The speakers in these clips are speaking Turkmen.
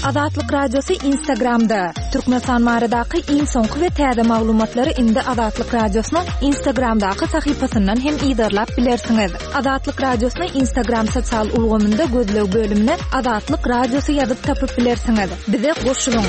Azatlyk Radiosy Instagramda, Türkmenistan baradaky iň soňky we täze maglumatlary indi Azatlyk Radiosynyň Instagramdaky sahypasyndan hem yzarlap bilersiňiz. Azatlyk Radiosyny Instagram sosial ulgamynda gözleg bölümine Azatlyk Radiosy ýazyp tapyp bilersiňiz. Bize goşulyň!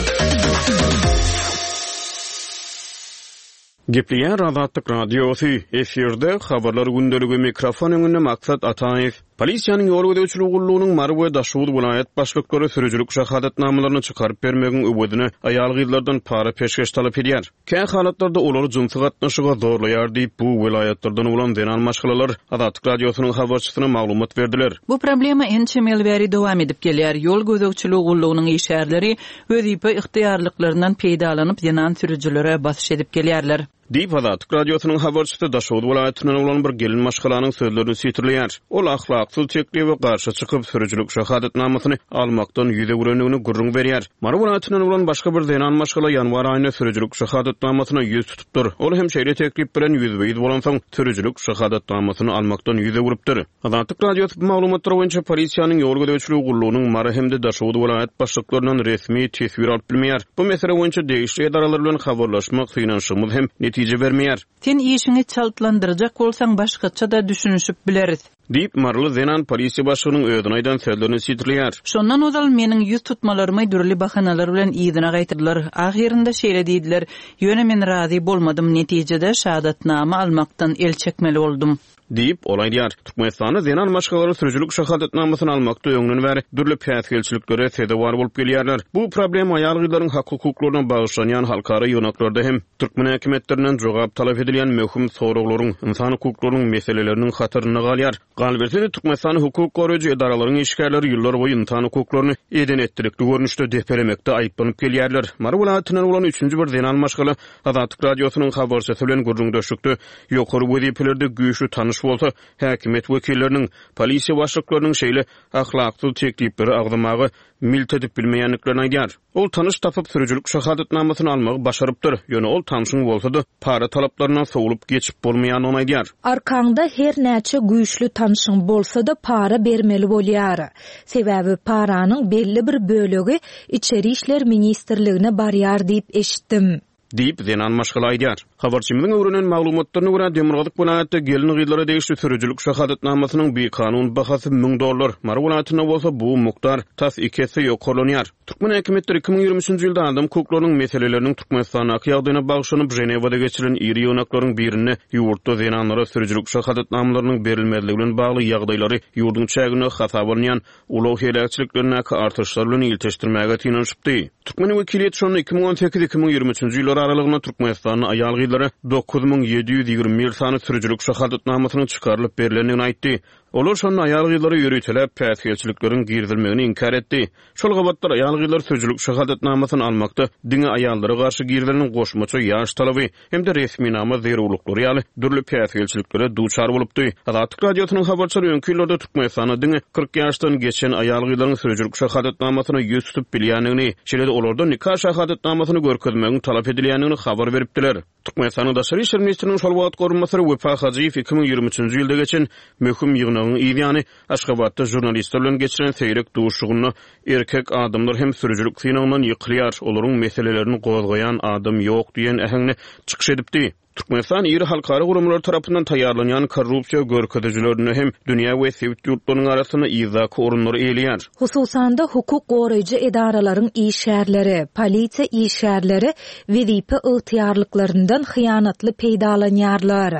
Gepleýär Azatlyk Radiosy, efirde Habarlar gündeligi, mikrofon öňünde Maksat Ataýew. Polisiýanyň ýol gözegçiligi gullugynyň Mary we Daşoguz welaýat başlyklary sürüjilik şahadatnamalaryny çykaryp bermegiň öwezine aýal-gyzlardan para-peşgeş talap edýär. Kä halatlarda olary jynsy gatnaşyga zorlaýar diýip, bu welaýatlardan bolan zenan maşgalalar Azatlyk Radiosynyň habarçysyna maglumat berdiler. Bu problema ençeme ýyl bäri dowam edip gelýär. Ýol gözegçiligi gullugynyň işgärleri wezipe ygtyýarlyklaryndan peýdalanyp zenan sürüjilere basyş edip gelýärler. Diýip, Azatlyk Radiosynyň habarçysy Daşoguz welaýatyndan bolan bir gelin maşgalanyň sözlerini sitirleýär. Ol ahlaksyz teklibe garşy çykyp, sürüjilik şahadatnamasyny almakdan ýüz öwrendigini gürrüň berýär. Mary welaýatyndan bolan başga bir zenan maşgala ýanwar aýynda sürüjilik şahadatnamasyna ýüz tutupdyr. Ol hem şeýle teklip bilen ýüzbe-ýüz bolansoň, sürüjilik şahadatnamasyny almakdan ýüz öwrüpdir. Azatlyk Radiosy bu maglumatlar boýunça polisiýanyň ýol gözegçiligi gullugynyň Mary hem-de Daşoguz welaýat başlyklaryndan resmi teswir alyp bilmeýär. Bu mesele boýunça degişli edaralar bilen habarlaşmak synanyşygymyz hem netije bermeýär. Sen işiňi çaltlandyrjak bolsaň başgaça-da düşünişip bileris. Diýip, maryly zenan polisiýa başlygynyň özüne aýdan sözlerini sitirleýär. Şondan ozal meniň ýüz tutmalarymy dürli bahanalar bilen yzyna gaýtardylar. Ahyrynda şeýle diýdiler, Ýöne men razy bolmadym, netijede şahadatnama almakdan el çekmeli boldum. Diýip, ol aýdýar. Türkmenistanda zenan maşgalalar sürüjilik şahadatnamasyny almakda öňden bäri dürli päsgelçiliklere sezewar bolup gelýärler. Bu problema aýal-gyzlaryň hak-hukuklaryna bagyşlanýan halkara ýygnaklarda hem türkmen häkimiýetlerinden jogap talap edilýän möhüm soraglaryň, ynsan hukuklarynyň meseleleriniň hatarynda galýar. Galyberse-de, Türkmenistanda hukuk goraýjy edaralaryň işgärleri ýyllarboýy ynsan hukuklaryny eden-etdilikli görnüşde depelemekde aýyplanyp gelýärler. Mary welaýatyndan bolan üçünji bir zenan maşgala Azatlyk Radiosynyň habarçysy bilen gürrüňdeşlikde ýokary wezipelerde güýçli tanyş bolsa, häkimiýet wekilleriniň, polisiýa başlyklarynyň şeýle ahlaksyz teklipleri agzamaga milt edip bilmeýändiklerini aýdýar. Ol tanyş tapyp, sürüjilik şahadatnamasyny almagy başarypdyr, ýöne ol tanşyň bolsa-da, para talaplaryndan sowlup geçip bolmaýandygyny aýdýar. Arkaňda her näçe güýçli tanşyň bolsa-da para bermeli bolýar. Sebäbi paranyň belli bir bölegi Içeri işler ministrligine barýar diýip eşitdim. Diýip, zenan maşgala aýdýar. Habarçymyzyň öwrenen maglumatlaryna görä, demirgazyk welaýatda gelin-gyzlara degişli sürüjilik şahadatnamasynyň bikanun bahasy müň dollar, Mary welaýatynda bolsa bu mukdar tas iki esse ýokarlanýar. Türkmen häkimiýetleri 2023 nji ýylda adam hukuklarynyň meseleleriniň Türkmenistandaky ýagdaýyna bagyşlanyp Ženewada geçirilen iri ýygnaklaryň birinde ýurtda zenanlara sürüjilik şahadatnamalarynyň berilmezligi bilen bagly ýagdaýlary ýurduň çäginde hasaba alynýan ulag heläkçiliklerindäki artyşlar bilen ilteşdirmäge synanyşypdy. Türkmen wekiliýeti şonda 2018-2023 nji ýyllar aralygynda Türkmenistanda aýal-gyzlara 9721 sany sürüjilik şahadatnamasynyň çykarylyp berlendigini aýtdy. Olar şonda aýal-gyzlara ýöriteläp päsgelçilikleriň girizilmegini inkär etdi. Şol gabatlar aýal-gyzlar sürüjilik şahadatnamasyny almakda diňe aýallara garşy girizilen goşmaça ýaş talaby hem-de resminama zerurlyklary ýaly dürli päsgelçiliklere duçar bolupdy. Azatlyk Radiosynyň habarçylary öňki ýyllarda Türkmenistanda diňe 40 ýaşdan geçen aýal-gyzlaryň sürüjilik şahadatnamasyna ýüz tutup bilýändigini, şeýle-de olardan nika şahadatnamasyny görkezmegiň talap edilýändigini habar beripdiler. Türkmenistanyň Daşary işler ministriniň şol wagtky orunbasary Wepa Hajyýew 2023-nji ýylda geçen möhüm ýygnagyň yz ýany Aşgabatda žurnalistler bilen geçiren seýrek duşuşygynda erkek adamlar hem sürüjilik synagyndan ýykylýar, olaryň meselelerini gozgaýan adam ýok diýen äheňde çykyş edipdi. Türkmenistan iri halkara guramalary tarapyndan taýýarlanýan korrupsiýa görkezijilerinde hem dünýä we sebit ýurtlarynyň arasynda yzdaky orunlary eýeleýär. Hususan-da, hukuk goraýjy edaralaryň işgärleri, polisiýa işgärleri wezipe ygtyýarlyklaryndan hyýanatly peýdalanýarlar,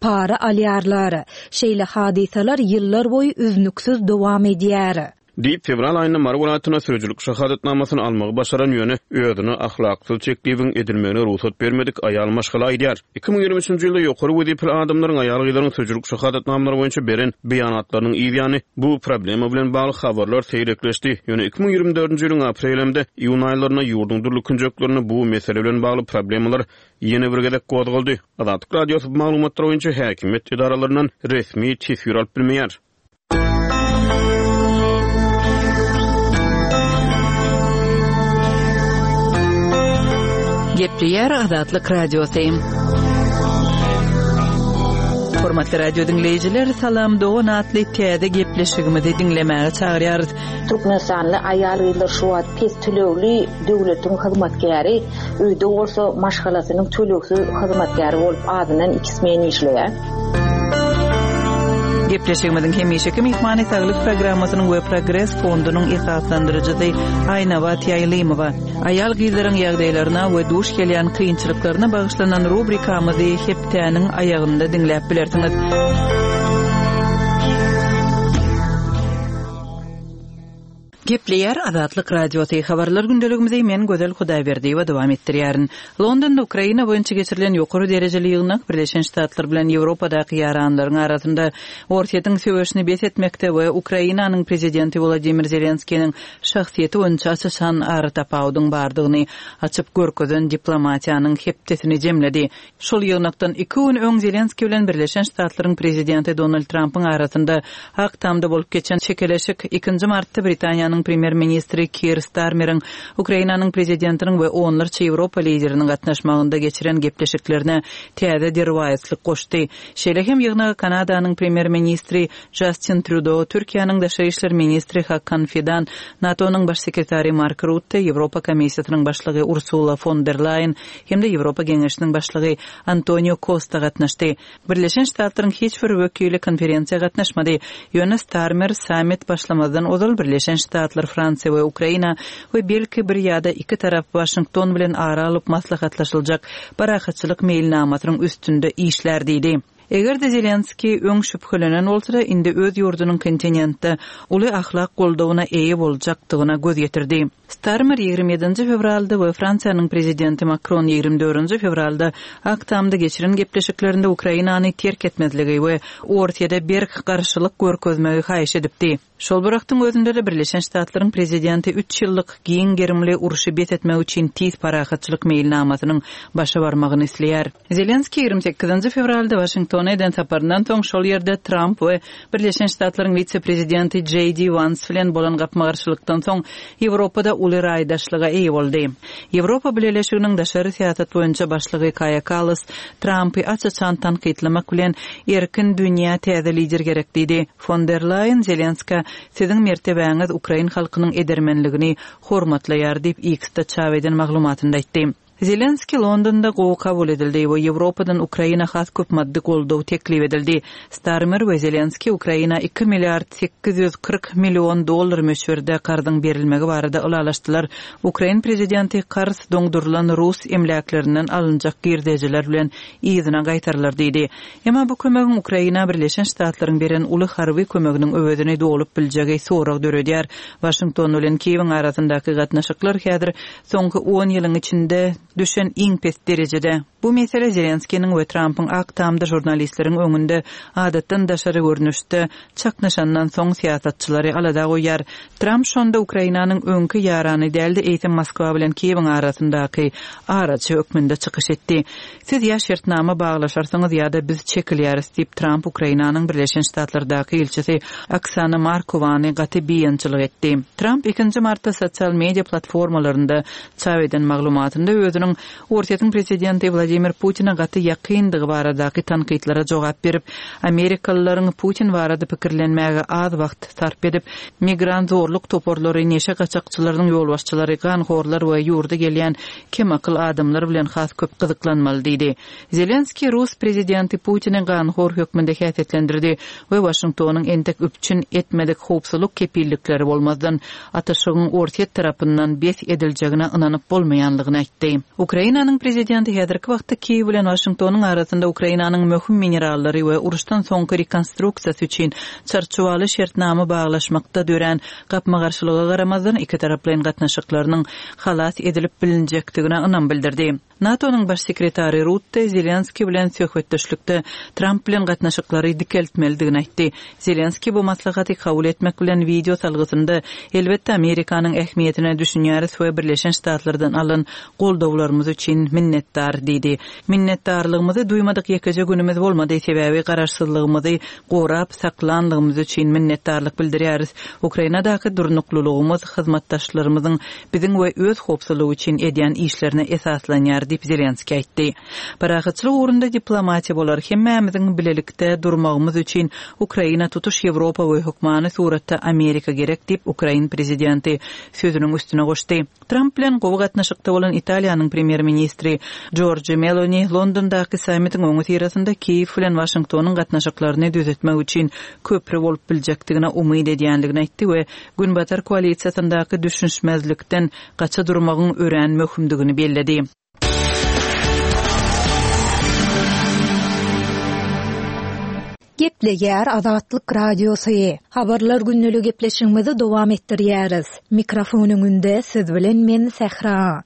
para alýarlar. Şeýle hadysalar ýyllarboýy üznüksiz dowam edýär. Diýip, fewral aýynda Mary welaýatynda sürüjilik şahadatnamasyny almagy başaran, ýöne özüne ahlaksyz teklibiň edilmegine rugsat bermedik aýal maşgala aýdýar. 2023-nji ýylda ýokary wezipeli adamlaryň aýal-gyzlaryň sürüjilik şahadatnamalary boýunça beren beýanatlarynyň yz ýany bu problema bilen bagly habarlar seýrekleşdi. Ýöne 2024-nji ýylyň aprel hem-de iýun aýlarynda ýurduň dürli künjeklerinde bu mesele bilen bagly problemalar ýene bir gezek gozgaldy. Azatlyk Radiosy bu maglumatlar boýunça häkimiýet edaralaryndan resmi teswir alyp bilmeýär. Gepleýär Azatlyk Radiosy. Hormatly radio diňleýjiler, Salam dogan atly täze gepleşigimizi diňlemäge çagyrýarys. Türkmenistanly aýal-gyzlar şu wagt pes tölegli döwletiň hyzmatkäri, öýde bolsa maşgalasynyň tölegsiz hyzmatkäri bolup azyndan iki smen işleýär. Gepleşigimiziň hemişeki myhmany Saglyk programmasynyň we Progres fondunyň esaslandyryjysy Aýnabat Ýaýlymowa. Aýal-gyzlaryň ýagdaýlaryna we duş gelýän kynçylyklaryna bagyşlanan rubrikamyzy hepdäniň aýagynda diňläp bilersiňiz. Gepleýär Azatlyk Radiosy, Habarlar gündeligimizi men Gözel Hudaýberdiýewa dowam etdirýärin. Londonda Ukraina boýunça geçirilen ýokary derejeli ýygnak Birleşen Ştatlar bilen Ýewropadaky ýaranlaryň arasynda Orsýetiň söweşini bes etmekde we Ukrainanyň prezidenti Wladimir Zelenskiniň şahsyýeti boýunça aç-açan aratapawudyň bardygyny açyp görkezen diplomatiýanyň hepdesini jemledi. Şol ýygnakdan iki gün öň Zelenskiý bilen Birleşen Ştatlaryň prezidenti Donald Trampyň arasynda Ak Tamda bolup geçen çekeleşik ikinji martda Britaniýanyň premýer-ministri Kir Starmeriň Ukrainanyň prezidentiniň we onlarça ýewropa lideriniň gatnaşmagynda geçiren gepleşiklerine täze derwaýyslyk goşdy. Şeýle hem ýygnaga Kanadanyň premýer-ministri Jastin Trýudo, Türkiýäniň daşary işler ministri Hakan Fidan, NATO-nyň baş sekretary Mark Rutte, Ýewropa Komissiýasynyň başlygy Ursula fon der Laýen hem-de Ýewropa Geňeşiniň başlygy Antonio Kosta gatnaşdy. Birleşen Ştatlaryň hiç bir wekili konferensiýa gatnaşmady. Ýöne Starmer sammit başlamazdan ozal Birleşen Ştatlar, Fransiýa we Ukraina we belki bir ýa-da iki tarap Waşington bilen ara alyp maslahatlaşyljak parahatçylyk meýilnamasynyň üstünde işlär diýdi. Eger-de Zelenskiý öň şübhelenen bolsa-da, indi öz ýurdunyň kontinentde uly ahlak goldawyna eýe boljakdygyna göz ýetirdi. Starmer 27-nji fewralda we Fransiýanyň prezidenti Makron 24-nji fewralda Ak Tamda geçiren gepleşiklerinde Ukrainany terk etmezligi we Orsýede berk garşylyk görkezmegi haýyş edipdi. Şol bir wagtyň özünde-de Birleşen Ştatlaryň prezidenti üç ýyllyk giň gerimli urşy bes etmek üçin tiz parahatçylyk meýilnamasynyň başa barmagyny isleýär. Zelenskiý 28-nji fewralda Waşingtona eden saparyndan soň şol ýerde Tramp we Birleşen Ştatlaryň wise-prezidenti Jeý Di Wans bilen bolan gapma-garşylykdan soň Ýewropada uly raýdaşlyga eýe boldy. Ýewropa Bileleşiginiň daşary syýasat boýunça başlygy Kaýa Kallas Trampy aç-açan tankytlamak bilen, Erkin dünýä täze lider gerek diýdi. Fon der Laýen Zelenskä, Siziň mertebäňiz ukrain halkynyň edermenligini hormatlaýar diýip, X-de çap eden maglumatynda aýtdy. Zelenskiý Londonda gowy kabul edildi we Ýewropadan Ukraina has köp maddy goldaw teklip edildi. Starmer we Zelenskiý Ukraina iki milliard 840 million dollar möçberde karzyň berilmegi barada ylalaşdylar. Ukrain prezidenti karz doňdurylan rus emläklerinden alynjak girdejiler bilen yzyna gaýtarylar diýdi. Emma bu kömegiň Ukraina Birleşen Ştatlaryň beren uly harby kömeginiň öwezini dolup biljegi sorag döredýär. Waşington bilen Kiýewiň arasyndaky gatnaşyklar häzir soňky on ýylyň içinde düşen iň pes derejede. Bu mesele Zelenskiniň we Trampyň Ak Tamda žurnalistleriň öňünde adatdan daşary görnüşde çaknyşandan soň syýasatçylary alada goýýar. Tramp şonda Ukrainanyň öňki ýarany däl-de, eýsem Moskwa bilen Kiýewiň arasyndaky araçy hökmünde çykyş etdi. Siz ýa şertnama baglaşarsyňyz ýa-da biz çekilýäris diýip, Tramp Ukrainanyň Birleşen Ştatlardaky ilçisi Oksana Markowany gaty biynjalyk etdi. Tramp ikinji martda sosial media platformalarynda çap eden maglumatynda özüniň Orsýetiň prezidenti Wladimir Putine gaty ýakyndygy baradaky tankytlara jogap berip, amerikalylaryň Putin barada pikirlenmäge az wagt sarp edip, migrant zorluk toparlary, neşe gaçakçylarynyň ýolbaşçylary, ganhorlar we ýurda gelýän kemakyl adamlar bilen has köp gyzyklanmaly diýdi. Zelenskiý rus prezidenti Putini ganhor hökmünde häsiýetlendirdi we Waşingtonyň entek üpjün etmedik howpsuzlyk kepillikleri bolmazdan, atyşygyň Orsýet tarapyndan bes ediljegine ynanyp bolmaýanlygyny aýtdy. Ukrainanyň prezidenti häzirki wagtda Kiýew bilen Waşingtonyň arasynda Ukrainanyň möhüm minerallary we uruşdan soňky rekonstruksiýasy üçin çarçuwaly şertnama baglaşmakda dörän gapma-garşylyga garamazdan, ikitaraplaýyn gatnaşyklarynyň halas edilip bilinjekdigine ynam bildirdi. NATO-nyň baş sekretary Rutte Zelenskiý bilen söhbetdeşlikde Tramp bilen gatnaşyklary dikeltmelidigini aýtdy. Zelenskiý bu maslahaty kabul etmek bilen wideo salgysynda, Elbetde, Amerikanyň ähmiýetine düşünýäris we Birleşen Ştatlardan alan goldawlarymyz üçin minnetdar diýdi. Minnetdarlygymyzy duýmadyk ýekeje günümiz bolmady, sebäbi garaşsyzlygymyzy gorap saklanlygymyz üçin minnetdarlyk bildirýäris. Ukrainadaky durnuklylygymyz hyzmatdaşlarymyzyň biziň we öz howpsuzlygy üçin edýän işlerine esaslanýar. diýip, Zelenskiý aýtdy. Parahatçylyk ugrunda diplomatiýa bolar. Hemmämiziň bilelikde durmagymyz üçin Ukraina tutuş Ýewropa we hökmany suratda Amerika gerek diýip, ukrain prezidenti sözüniň üstüne goşdy. Tramp bilen gowy gatnaşykda bolan Italiýanyň premýer-ministri Jorji Meloni Londondaky sammitiň öňüsyrasynda Kiýew bilen Waşingtonyň gatnaşyklaryny düzetmek üçin köpri bolup biljekdigine umyt edýändigini aýtdy we Günbatar koalisiýasyndaky düşünişmezlikden gaça durmagyň örän möhümdigini belledi. Gepleýär Azatlyk Radiosy. Habarlar gündeligi gepleşigimizi dowam etdirýäris. Mikrofon öňünde siz bilen men Sähra.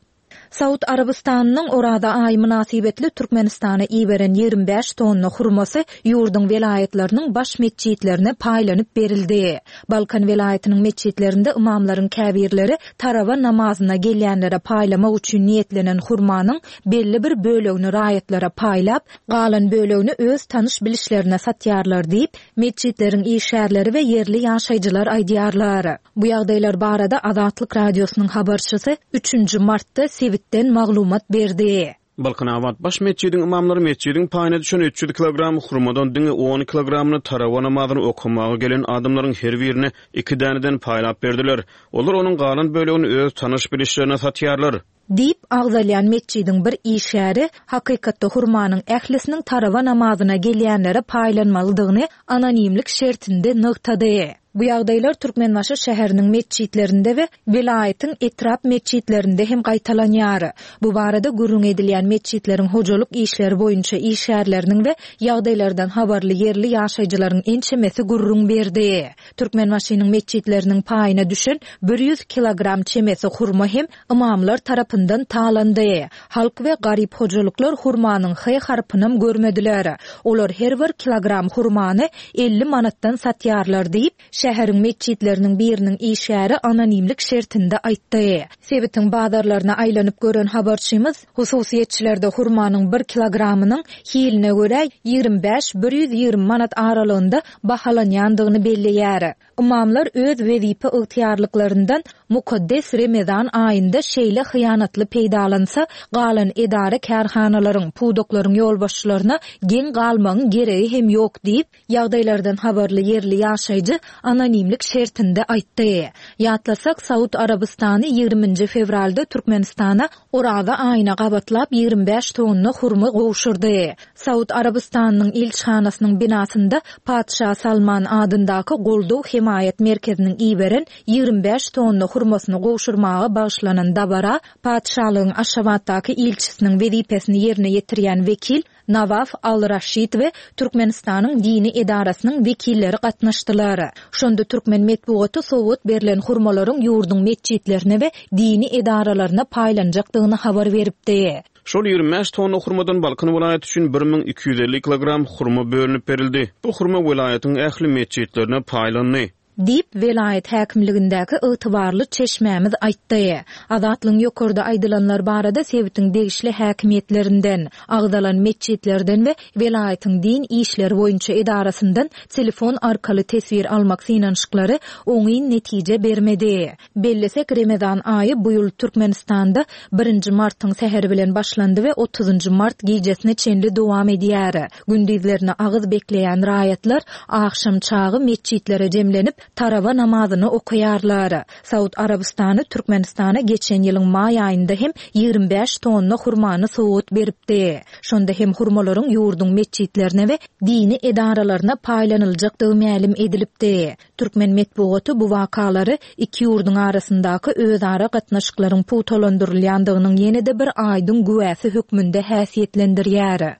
Saud Arabystanynyň Oraza aýy mynasybetli Türkmenistana iberen 25 tonna hurmasy ýurduň welaýatlarynyň baş metjitlerine paýlanyp berildi. Balkan welaýatynyň metjitlerinde ymamlaryň käbirleri tarawa namazyna gelýänlere paýlamak üçin niýetlenen hurmanyň belli bir bölegini raýatlara paýlap, galan bölegini öz tanyş-bilişlerine satýarlar diýip, metjitleriň işgärleri we ýerli ýaşaýjylar aýdýarlar. Bu ýagdaýlar barada Azatlyk Radiosynyň habarçysy üçünji martda sebitden maglumat berdi. Balkanabat baş metjidiň ymamlary metjidiň paýyna düşen 300 kilogram hurmadan diňe on kilogramyny tarawa namazyny okamaga gelen adamlaryň her birine iki däneden paýlap berdiler. Olar onuň galan bölegini öz tanyş-bilişlerine satýarlar. Diýip, agzalýan metjidiň bir işgäri hakykatda hurmanyň ählisiniň tarawa namazyna gelýänlere paýlanmalydygyny anonimlik şertinde nygtady. Bu ýagdaýlar Türkmenbaşy şäheriniň metjitlerinde we welaýatyň etrap metjitlerinde hem gaýtalanýar. Bu barada gürrüň edilýän metjitleriň hojalyk işleri boýunça işgärleriniň we ýagdaýlardan habarly ýerli ýaşaýjylaryň ençemesi gürrüň berdi. Türkmenbaşynyň metjitleriniň paýyna düşen 100 kilogram çemesi hurma hem ymamlar tarapyndan talandy. Halk we garyp hojalyklar hurmanyň H harpynam görmediler. Olar her bir kilogram hurmany 50 manatdan satýarlar diýip, şäheriň metjitleriniň biriniň işgäri anonimlik şertinde aýtdy. Sebitiň bazarlaryna aýlanyp gören habarçymyz hususyýetçilerde hurmanyň bir kilogramynyň hiline görä 25, 120 manat aralygynda bahalanýandygyny belleýär. Ymamlar öz wezipe ygtyýarlyklaryndan mukaddes Remezan aýynda şeýle hyýanatly peýdalansa, galan edara-kärhanalaryň, pudaklaryň ýolbaşçylaryna geň galmagyň geregi hem ýok diýip, ýagdaýlardan habarly ýerli ýaşaýjy anonimlik şertinde aýtdy. Ýatlasak, Saud Arabystany ýigriminji fewralda Türkmenistana Oraza aýyna gabatlap 25 tonna hurma gowşurdy. Saud Arabystanynyň ilçihanasynyň binasynda Patyşa Salman adyndaky goldaw-hemaýat merkeziniň iberen 25 tonna hurmasyny gowşurmaga bagyşlanan dabara Patyşalygyň Aşgabatdaky ilçisiniň wezipesini ýerine ýetirýän wekil Nawaf Al-Raşid we Türkmenistanyň dini edarasynyň wekilleri gatnaşdylar. Şonda türkmen metbugaty sowgat berlen hurmalaryň ýurduň metjitlerine we dini edaralaryna paýlanjakdygyny habar beripdi. Şol 25 tonna hurmadan Balkan welaýaty üçin 1250 kilogram hurma bölünip berildi. Bu hurma welaýatyň ähli metjitlerine paýlandy. Diýip, welaýat häkimligindäki ygtybarly çeşmämiz aýtdy. Azatlygyň ýokarda aýdylanlar barada sebitiň degişli häkimiýetlerinden, agzalan metjitlerden we welaýatyň din işleri boýunça edarasyndan telefon arkaly teswir almak synanyşyklary oňyn netije bermedi. Bellesek, Remezan aýy bu ýyl Türkmenistanda birinji martyň säheri bilen başlandy we otuzynjy mart gijesine çenli dowam edýär. Gündizlerine agyz bekleýän raýatlar agşam çagy metjitlere jemlenip, tarawa namazyny okaýarlar. Saud Arabystany Türkmenistana geçen ýylyň maý aýynda hem 25 tonna hurmany sowgat beripdi. Şonda hem hurmalaryň ýurduň metjitlerine we dini edaralaryna paýlanyljakdygy mälim edilipdi. Türkmen metbugaty bu wakalary iki ýurduň arasyndaky özara gatnaşyklaryň pugtalandyrylýandygynyň ýene-de bir aýdyň güwäsi hökmünde häsiýetlendirýär.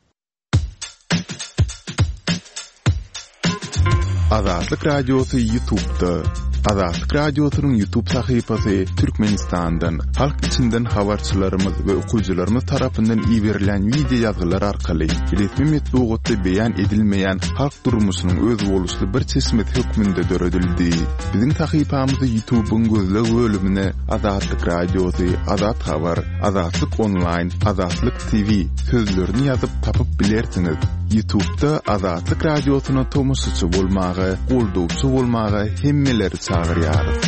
Azatlyk Radiosy Ýutubda. Azatlyk Radiosynyň Ýutub sahypasy Türkmenistandan, halk içinden habarçylarymyz we okyjylarymyz tarapyndan iberilen wideo ýazgylar arkaly resmi metbugatda beýan edilmeýän halk durmuşynyň özboluşly bir çeşmesi hökmünde döredildi. Biziň sahypamyzy Ýutubyň gözleg bölümine Azatlyk Radiosy, Azat Habar, Azatlyk Onlaýn, Azatlyk TV sözlerini ýazyp tapyp bilersiňiz. Ýutubda Azatlyk Radiosyna tomaşaçy bolmaga, goldawçy bolmaga hemmeleri çagyrýarys.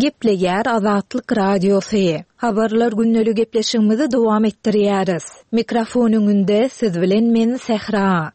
Gepleýär Azatlyk Radiosy. Habarlar gündelik gepleşigimizi dowam etdirýäris. Mikrofon öňünde siz bilen men Sähra.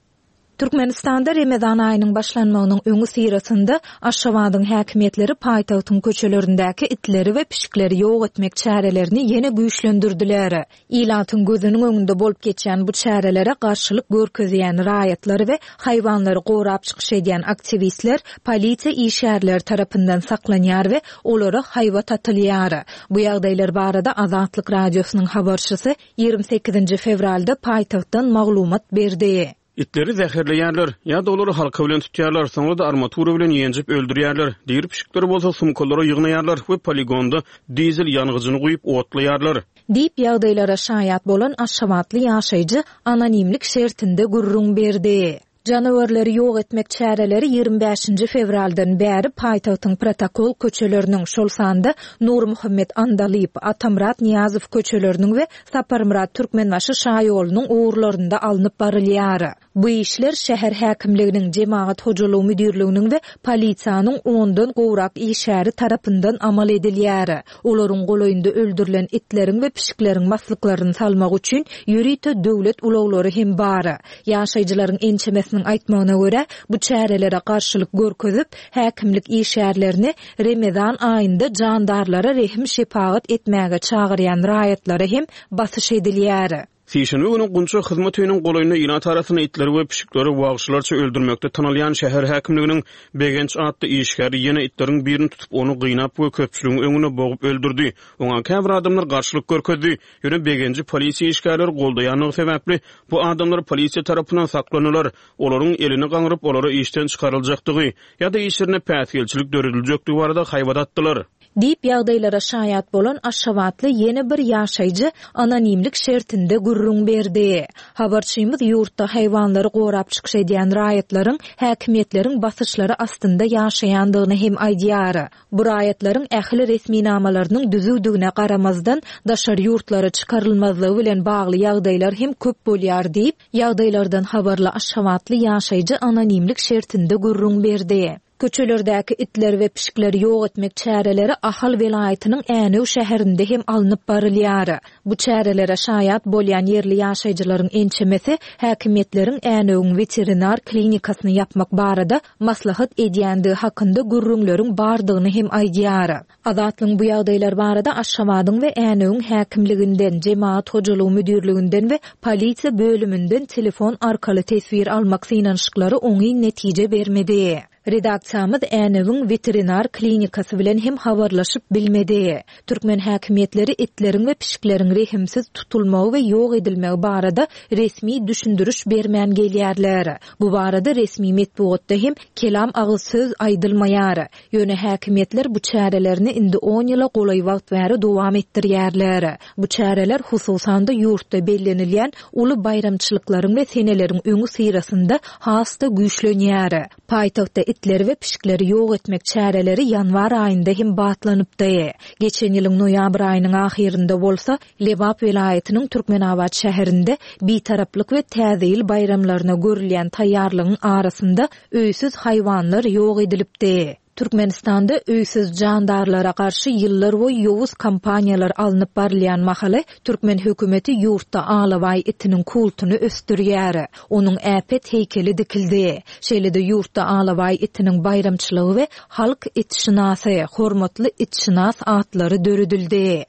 Türkmenistanda Remezan aýynyň başlanmagynyň öňüsyrasynda Aşgabadyň häkimiýetleri paýtagtyň köçelerindäki itleri we pişikleri ýok etmek çärelerini ýene güýçlendirdiler. Ilatyň gözüniň öňünde bolup geçýän bu çärelere garşylyk görkezýän raýatlar we haýwanlary gorap çykyş edýän aktiwistler polisiýa işgärleri tarapyndan saklanýar we olara haýbat atylýar. Bu ýagdaýlar barada Azatlyk Radiosynyň habarçysy 28-nji fewralda paýtagtdan maglumat berdi. Itleri zäherleýärler, ýa-da olary halka bilen tutýarlar, soňra-da armatura bilen ýenjip öldürýärler. Diri pişikleri bolsa sumkalara ýygnaýarlar we poligonda dizel ýangyjyny guýup otlaýarlar. Diýip, ýagdaýlara şaýat bolan aşgabatly ýaşaýjy anonimlik şertinde gürrüň berdi. Janawerleri ýok etmek çäreleri 25-nji fewraldan bäri paýtagtyň protokol köçeleriniň, şol sanda Nurmuhammet Andalyp, Atamyrat Nyýazow köçeleriniň we Saparmyrat Türkmenbaşy şaýolunyň ugurlarynda alnyp barylýar. Bu işler şäher häkimliginiň, jemagat hojalygy müdirliginiň we polisiýanyň ondan gowrak işgäri tarapyndan amal edilýär. Olaryň golaýynda öldürilen itleriň we pişikleriň maslyklaryny salmak üçin ýörite döwlet ulaglary hem bar. Ýaşaýjylaryň ençemesiniň aýtmagyna görä, bu çärelere garşylyk görkezip, häkimlik işgärlerini Remezan aýynda jandarlara rehim-şepagat etmäge çagyrýan raýatlara hem basyş edilýär. Sişenbe güni Gunça hyzmat öýüniň golaýynda ilat arasynda itleri we pişikleri wagşylarça öldürmekde tanalýan şäher häkimliginiň Begenç atly işgäri ýene itleriň birini tutup, ony gynap we köpçüligiň öňünde bogup öldürdi. Oňa käbir adamlar garşylyk görkezdi. Ýöne Begenji polisiýa işgärleri goldaýandygy sebäpli, bu adamlar polisiýa tarapyndan saklandylar. Olaryň elini gaňryp, olara işden çykaryljakdygy ýa-da işlerine päsgelçilik dörediljekdigi barada haýbat atdylar. Diýip, ýagdaýlara şaýat bolan aşgabatly ýene bir ýaşaýjy anonimlik şertinde gürrüň berdi. Habarçymyz ýurtda haýwanlary gorap çykyş edýän raýatlaryň häkimiýetleriň basyşlary astynda ýaşaýandygyny hem aýdýar. Bu raýatlaryň ähli resminamalarynyň düzüwdigine garamazdan, daşary ýurtlara çykarylmazlygy bilen bagly ýagdaýlar hem köp bolýar diýip, ýagdaýlardan habarly aşgabatly ýaşaýjy anonimlik şertinde gürrüň berdi. Köçelerdäki itleri we pişikleri ýok etmek çäreleri Ahal welaýatynyň Änew şäherinde hem alnyp barylýar. Bu çärelere şaýat bolýan ýerli ýaşaýjylaryň ençemesi häkimiýetleriň Änewiň weterinar klinikasyny ýapmak barada maslahat edýändigi hakynda gürrüňleriň bardygyny hem aýdýar. Azatlygyň bu ýagdaýlar barada Aşgabadyň we Änewiň häkimliginden, Jemagat hojalygy müdirliginden we polisiýa bölüminden telefon arkaly teswir almak synanyşyklary oňyn netije bermedi. Redaksiýamyz Änewiň weterinar klinikasy bilen hem habarlaşyp bilmedi. Türkmen häkimiýetleri itleriň we pişikleriň rehimsiz tutulmagy we ýok edilmegi barada resmi düşündiriş bermän gelýärler. Bu barada resmi metbugatda hem kelam agyz söz aýdylmaýar. Ýöne häkimiýetler bu çärelerini indi on ýyla golaý wagt bäri dowam etdirýärler. Bu çäreler hususan-da ýurtda bellenilýän uly baýramçylyklaryň we seneleriň öňüsyrasynda has-da güýçlenýär. Paýtagtda itleri we pişikleri ýok etmek çäreleri ýanwar aýynda hem batlanypdy. Geçen ýylyň noýabr aýynyň ahyrynda bolsa, Lebap welaýatynyň Türkmenabat şäherinde Bitaraplyk we Täze ýyl baýramlaryna görülýän taýýarlygyň arasynda öýsüz haýwanlar ýok edilipdi. Türkmenistanda öýsüz jandarlara garşy ýyllarboýy ýowuz kampaniýalar alnyp barylýan mahaly, türkmen hökümeti ýurtda alabaý itiniň kultuny ösdürýär. Onuň äpet heýkeli dikildi. Şeýle-de ýurtda alabaý itiniň baýramçylygy we halk itşynasy, hormatly itşynas atlary döredildi.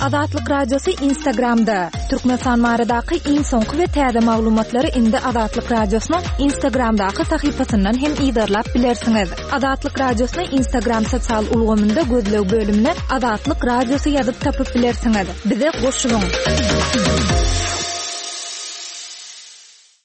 Azatlyk Radiosy Instagramda, Türkmenistan baradaky iň soňky we täze maglumatlary indi Azatlyk Radiosynyň Instagramdaky sahypasyndan hem yzarlap bilersiňiz. Azatlyk Radiosyny Instagram sosial ulgamynda gözleg bölümine Azatlyk Radiosy ýazyp tapyp bilersiňiz. Bize goşulyň!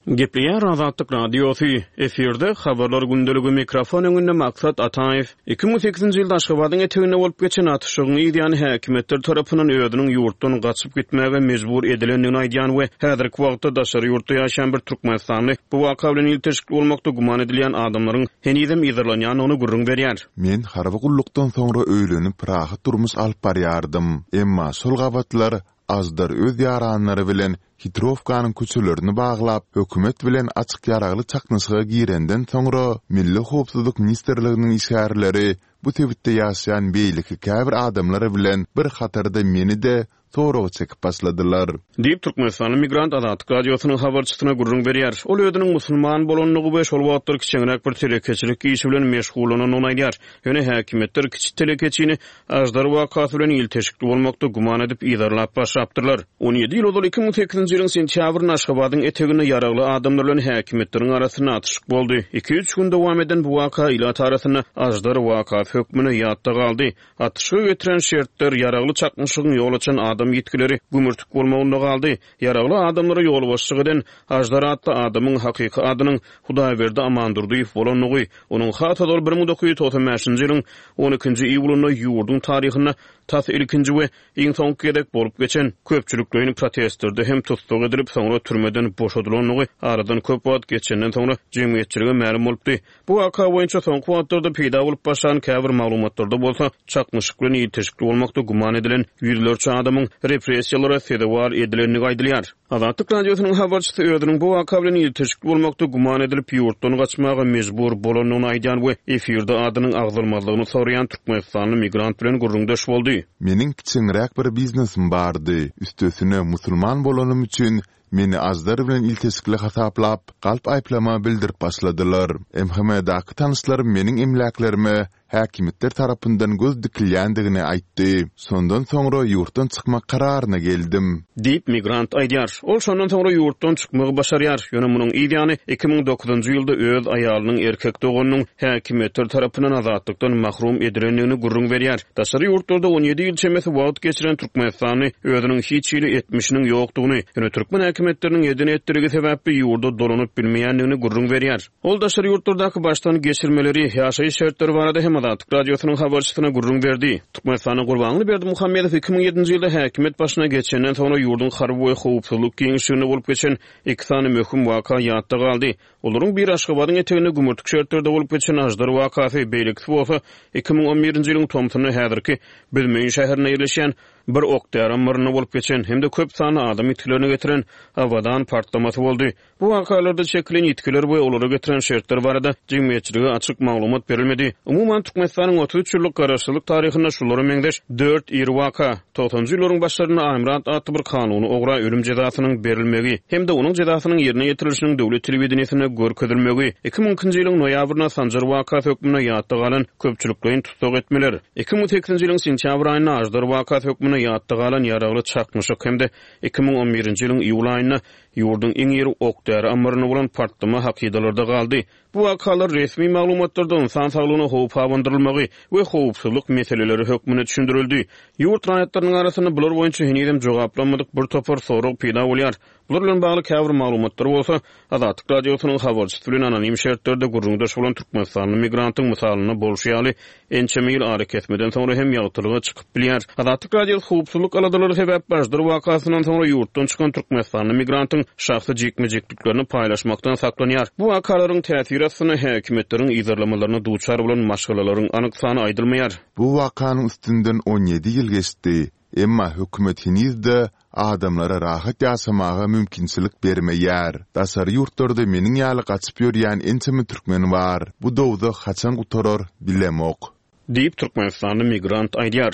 Gepleýär Azatlyk Radiosy, efirde Habarlar gündeligi, mikrofon öňünde Maksat Ataýew. 2008-nji ýylda Aşgabadyň eteginde bolup geçen atyşygyň yz ýany häkimiýetler tarapyndan özüniň ýurtdan gaçyp gitmäge mejbur edilendigini aýdýan we häzirki wagtda daşary ýurtda ýaşaýan bir türkmenistanly bu waka bilen ilteşikli bolmakda güman edilýän adamlaryň henizem yzarlanýandygyny gürrüň berýär. Men harby gullukdan soňra öýlenip rahat durmuş alyp barýardym. Emma şol gabatlar. Aždar öz ýaranlary bilen Hitrowkanyň köçelerini baglap, hökümet bilen açyk ýaragly çaknyşyga girenden soňra, Milli howpsuzlyk ministrliginiň işgärleri bu sebitde ýaşaýan beýleki käbir adamlar bilen bir hatarda meni-de soraga çekip başladylar. Diýip, türkmenistanly migrant Azatlyk Radiosynyň habarçysyna gürrüň berýär. Ol özüniň musulman bolandygy we şol wagtlar kiçeňräk bir telekeçilik işi bilen meşgullanandygyny aýdýar. Ýöne häkimiýetler kiçi telekeçini Aždar wakasy bilen ilteşikli bolmakda güman edip yzarlap başlapdyrlar. 17 ýyl ozal 2008-nji ýylyň sentýabrynda Aşgabadyň eteginde ýaragly adamlar bilen häkimiýetleriň arasynda atyşyk boldy. Iki-üç gün dowam eden bu waka ilat arasynda Aždar wakasy hökmünde ýatda galdy. Atyşyga getiren şertler, ýaragly çaknyşygyň ýol açan adam ýitgileri gümürtik bolmagynda galdy. Ýaragly adamlara ýolbaşçylyk eden Aždar atly adamyň hakyky adynyň Hudaýberdi Amandurdyýew bolandygy, onuň has ozal 1995-nji ýylyň on ikinji iýulynda ýurduň taryhynda tas ilkinji we iň soňky gezek bolup geçen köpçülikleýin protestlerde hem tussag edilip, soňra türmeden boşadylandygy aradan köp wagt geçenden soňra jemgyýetçilige mälim bolupdy. Bu waka boýunça soňky wagtlarda peýda bolup başlan käbir maglumatlarda bolsa, çaknyşyk bilen ilteşikli bolmakda güman edilen ýüzlerçe adamyň repressiýalara sezewar edilendigi aýdylýar. Azatlyk Radiosynyň habarçysy özüniň bu waka bilen ilteşikli bolmakda güman edilip, ýurtdan gaçmaga mejbur bolandygyny aýdýan we efirde adynyň agzalmazlygyny soraýan türkmenistanly migrant bilen gürrüňdeş boldy. Meniň kiçeňräk bir biznesim bardy. Üstesine, musulman bolanym üçin Meni Aždar bilen ilteşikli hasaplap, galp aýyplama bildirip başladylar. MHM-daky tanyşlarym meniň emläklerime häkimiýetler tarapyndan göz dikilýändigini aýtdy. Şondan soňra ýurtdan çykmak kararyna geldim. Diýip, migrant aýdýar. Ol şondan soňra ýurtdan çykmagy başarýar. Ýöne munuň yz ýany, 2009-njy ýylda öz aýalynyň erkek doganynyň häkimiýetler tarapyndan azatlykdan mahrum edilendigini gürrüň berýär. Daşary ýurtlarda 17 ýyl çemesi wagt geçiren türkmenistanly özüniň hiç hili etmişiniň ýokdugyny, ýöne türkmen häkimiýetleriniň eden-etdiligi sebäpli ýurda dolanyp bilmeýändigini gürrüň berýär. Ol daşary ýurtlardaky başdan geçirmeleri, ýaşaýyş şertleri barada hem Azatlyk Radiosynyň habarçysyna gürrüň berdi. Türkmenistanda Gurbanguly Berdimuhamedow 2007-nji ýylda häkimiýet başyna geçenden soňra ýurduň harby we howpsuzlyk giňişliginde bolup geçen iki sany möhüm waka ýatda galdy. Olaryň biri Aşgabadyň eteginde gümürtik şertlerde bolup geçen Aždar wakasy, beýlekisi bolsa 2011-nji ýylyň tomsunda häzirki Büzmeýin şäherinde ýerleşýän bir ok-däri ammarynda bolup geçen hem-de köp sanly adam ýitgilerine getiren Abadan partlamasy boldy. Bu wakalarda çekilen ýitgiler we olara getiren şertler barada jemgyýetçilige açyk maglumat berilmedi. Umuman, Türkmenistanyň 33 ýyllyk garaşsyzlyk taryhynda şulara meňzeş dört iri waka, Togsanjy ýyllaryň başlarynda Aýmyrat atly bir kanuny ogra ölüm jezasynyň berilmegi hem-de onuň jezasynyň ýerine ýetirilişiniň döwlet telewideniýesinde görkezilmegi, 2002-nji ýylyň noýabrynda Sanjar wakasy hökmünde ýatda galan köpçülikleýin tussag etmeler, 2008-nji ýylyň sentýabr aýynda Aždar wakasy hökmünde ýatda galan ýaragly çaknyşyk hem-de 2011-nji ýylyň iýul aýynda ýurduň iň iri ok-däri ammarynda bolan partlama hakydalarda galdy. Bu wakalar resmi maglumatlarda ynsan saglygyna howp abandyrylmagy we howpsuzlyk meseleleri hökmünde düşündirildi. Ýurt raýatlarynyň arasynda bular boýunça henizem jogaplanmadyk bir topar sorag peýda bolýar. Bular bilen bagly käbir maglumatlar bolsa, Azatlyk Radiosynyň habarçysy bilen anonim şertlerde gürrüňdeş bolan türkmenistanly migrantyň mysalynda bolşy ýaly, ençeme ýyl arakesmeden soňra hem ýagtylyga çykyp bilýär. Azatlyk Radiosy howpsuzlyk aladalary sebäpli Aždar wakasyndan soňra ýurtdan çykan türkmenistanly migrantyň şahsy jikme-jikliklerini paýlaşmakdan saklanýar. Bu wakalaryň täsiri astynda häkimiýetleriň yzarlamalaryna duçar bolan maşgalalaryň anyk sany aýdylmaýar. Bu wakanyň üstünden 17 ýyl geçdi, emma hökümet heniz-de adamlara rahat ýaşamaga mümkinçilik bermeýär. Daşary ýurtlarda meniň ýaly gaçyp ýörýän ençeme türkmen bar. Bu dowzah haçan gutarar, bilemok. Diýip, türkmenistanly migrant aýdýar.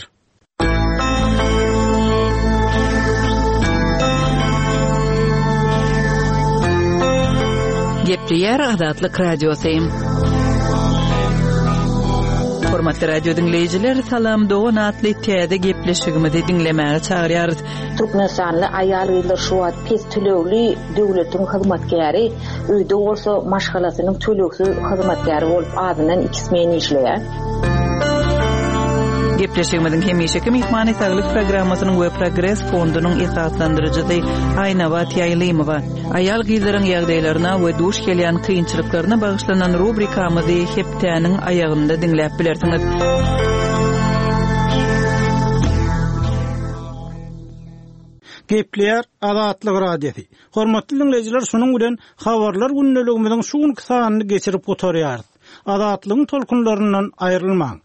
Gepleýär Azatlyk Radiosy. Hormatly radio diňleýjiler, Salam dogan atly täze gepleşigimizi diňlemäge çagyrýarys. Türkmenistanly aýal-gyzlar şu wagt pes tölegli döwletiň hyzmatkäri, öýde bolsa maşgalasynyň tölegsiz hyzmatkäri bolup azyndan iki smen işleýär. Gepleşigimiziň hemişeki myhmany Saglyk programmasynyň we Progres fondunyň esaslandyryjysy Aýnabat Ýaýlymowa. Aýal-gyzlaryň ýagdaýlaryna we duş gelýän kynçylyklaryna bagyşlanan rubrikamyzy hepdäniň aýagynda diňläp bilersiňiz. Gepleýär Azatlyk Radiosy. Hormatly diňleýjiler, şunuň bilen Habarlar gündeligimiziň şu günki sanyny geçirip gutarýarys. Azatlygyň tolkunlaryndan aýrylmaň!